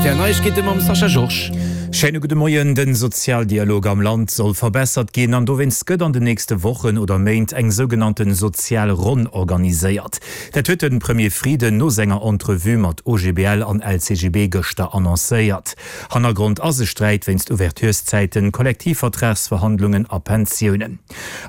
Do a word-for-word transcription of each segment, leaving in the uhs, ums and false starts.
R T L Neiegkeete mam Sascha Georges. Schéine gudde Moien. Den Sozialdialog am Land soll verbessert ginn an dowéinst gëtt an den nächste Wochen oder Méint eng sougenannten sozial Ronn organiséiert. Dat huet de Premier Frieden no senger Entrevue mat O G B L an L C G B gëschter annoncéiert. Hannergrond ass e Sträit wéinst Ouvertureszäiten, Kollektivvertragsverhandlungen a Pensiounen.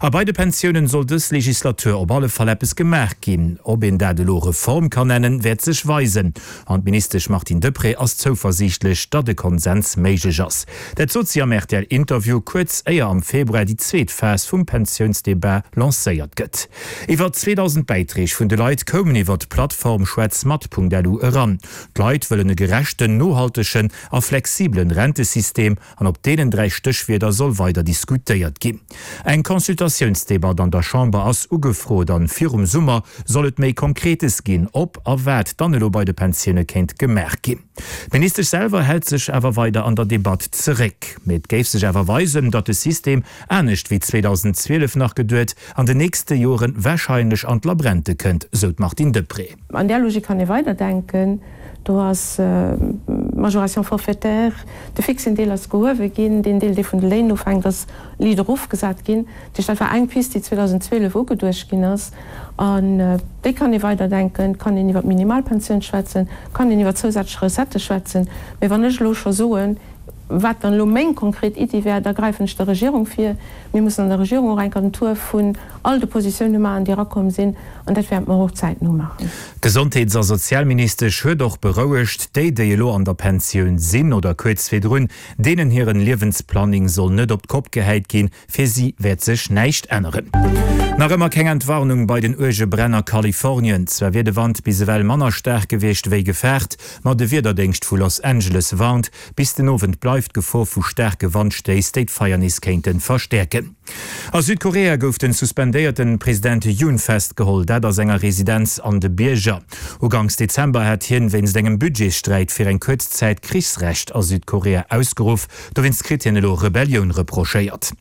A bei de Pensiounen soll dës Legislatur op alle Fall eppes gemaach ginn. Ob een dat elo Reform kann nennen, wäert sech weisen. An d'Ministesch Martine Deprez ass zouversiichtlech, datt e Konsens méiglech ass. Dat sot si am R T L-Interview kuerz éier am Februar déi zweet Phas vum Pensiounsdebat lancéiert gëtt. Iwwer zweedausend Bäiträg vun de Leit koumen iwwer d'Plattform schwätzmat Punkt L U eran. D'Leit wëllen e gerechten, nohaltegen a flexibelen Rentesystem an op deenen dräi Stéchwierder soll weider diskutéiert ginn. Eng Consultatiounsdebatt an der Chamber ass ugefrot an virum Summer soll et méi Konkretes ginn, ob a wat dann elo bei de Pensioune kéint gemaach ginn. D'Ministesch selwer hält sech awer weider an der Debatt zeréck. Mee et géif sech awer weisen, datt de System, anescht wéi zweedausendzwielef nach geduet, an den nächste Joren warscheinlech an d'Labrente kënnt, sou d'Martine Deprez. An där Logik kann ee weiderdenken. Do ass d'Majoration forfaitaire, de fixen Deel ass gehuewe ginn, deen Deel, dee vun de Léin ofhänkt, ass liicht erofgesat ginn. Dat heescht, dat war eng Pist, déi zweedausendzwielef ugeduecht ginn ass. An déi kann ee weiderdenken. Et kann een iwwer d'Minimalpensioun schwätzen, et kann een iwwer zousätzlech Recettë schwätzen. Mee wann ech elo scho soen, wat dann elo meng konkret Iddi wär, da gräifen ech der Regierung vir. Mir mussen an der Regierung och eng Kéier den Tour vun all de Positioune maachen, déi erakomm sinn, an dat wäerte mer och zäitno maachen. D'Gesondheets a Sozialministesch huet och berouegt, déi, déi elo an der Pensioun sinn oder kuerz virdrun, deenen hiren Liewensplanning soll net op d'Kopp gehäit ginn, fir si wäert sech näischt änneren. Nach ëmmer keng Entwarnung bei den uerge Bränn a Kalifornien. Zwar wier de Wand bis ewell manner staark gewiescht wéi gefaart, ma de Wiederdéngscht vu Los Angeles warnt, bis den Owend bleift d'Gefor vu staarke Wandstéiss, déi d'Feier nees kéinte verstäerken. A Südkorea gouf de suspendéierte President Yoon festgeholl, dat a senger Residenz an de Bierger. Uganks Dezember hat hien wéinst engem Budgetssträit fir eng kuerz Zäit Krichsrecht a Südkorea ausgeruff. Dowéinst kritt hien elo Rebellioun reprochéiert.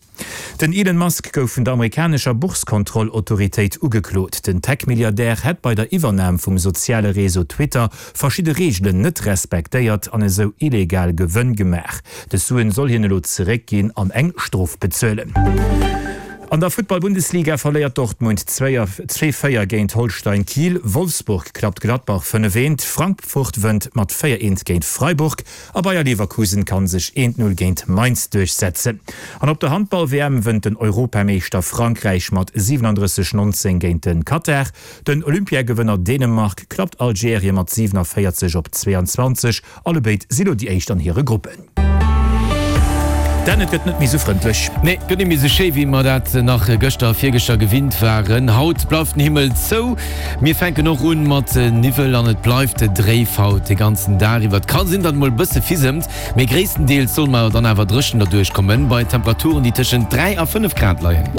Den Elon Musk gouf vun der amerikanescher Boursekontrollautoritéit ugeklot. Den Tech-Milliardär hätt bei der Iwwernam vum soziale Réseau Twitter verschidde Reegelen net respektéiert an esou illegal Gewënn gemaach. Dës Suen soll hien elo zeréckginn an eng Strof bezuelen. An der Futtball-Bundesliga verléiert Dortmund zwee véier géint Holstein Kiel, Wolfsburg klappt Gladbach fënnef eent, Frankfurt wënnt mat véier eent géint Freiburg a Bayer Leverkusen kann sech eent null géint Mainz duerchsetzen. An op der Handball-W M wënnt den Europameeschter Frankräich mat siwenandrësseg nonzéng géint de Katar. Den Olympiagewënner Dänemark klappt Algerien mat siwenavéierzeg op zweeanzwanzeg. Allebéid si lo déi éischt an hire Gruppen. Dan, et gëtt net méi sou frëndlech. Nee, gëtt net méi sou schéi, wéi mer dat nach gëschter a virgëschter gewinnt waren. Haut bleift den Himmel zou. Mir fänken och un mat Niwwel an et bleift dréif haut de ganzen Dag iwwer. Et ka sinn, datt et mol e bësse fisemt, mee gréisstendeels solle mer dann awer dréchen derduerch kommen, bei Temperaturen, déi tëschent dräi a fënnef Grad leien.